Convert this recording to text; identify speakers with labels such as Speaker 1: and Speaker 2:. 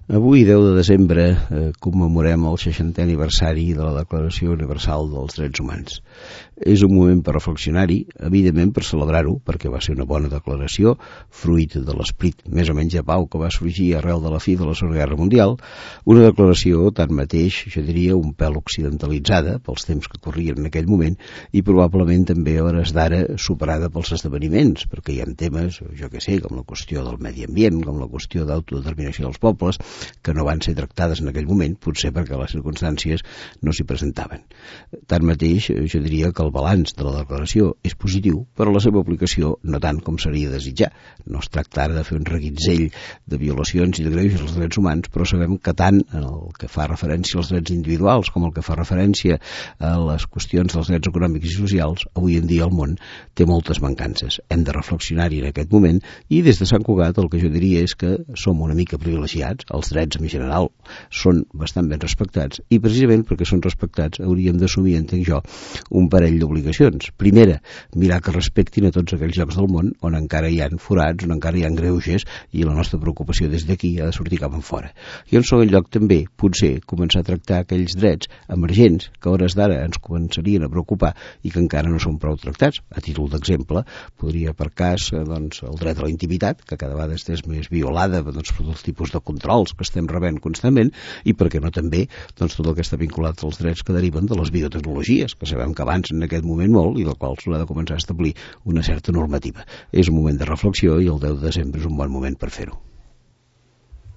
Speaker 1: Avui, 10 de desembre, commemorem el 60è aniversari de la Declaració Universal dels Drets Humans. És un moment per reflexionar-hi, evidentment per celebrar-ho, perquè va ser una bona declaració, fruit de l'esperit més o menys de pau que va sorgir arrel de la fi de la Segona Guerra Mundial, una declaració, tanmateix, jo diria, un pèl occidentalitzada pels temps que corrien en aquell moment i probablement també a hores d'ara superada pels esdeveniments, perquè hi ha temes, jo que sé, com la qüestió del medi ambient, com la qüestió d'autodeterminació dels pobles, que no van ser tractades en aquell moment, potser perquè les circumstàncies no s'hi presentaven. Tanmateix, jo diria que el balanç de la declaració és positiu, però la seva aplicació no tant com seria desitjar. No es tracta ara de fer un reguitzell de violacions i de greuges als drets humans, però sabem que tant en el que fa referència als drets individuals com el que fa referència a les qüestions dels drets econòmics i socials, avui en dia el món té moltes mancances. Hem de reflexionar-hi en aquest moment i des de Sant Cugat el que jo diria és que som una mica privilegiats, els drets en general són bastant ben respectats i precisament perquè són respectats hauríem d'assumir, entenc jo, un parell d'obligacions. Primera, mirar que respectin a tots aquells llocs del món on encara hi ha forats, on encara hi ha greuges i la nostra preocupació des d'aquí ha de sortir cap enfora. I en segon lloc també, potser, començar a tractar aquells drets emergents que a hores d'ara ens començarien a preocupar i que encara no són prou tractats. A títol d'exemple, podria per cas el dret a la intimitat, que cada vegada és més violada per tots tipus de controls que estem rebent constantment i per què no també tot el que està vinculat als drets que deriven de les biotecnologies, que sabem que avancen en aquest moment molt i del qual s'haurà de començar a establir una certa normativa. És un moment de reflexió i el 10 de desembre és un bon moment per fer-ho.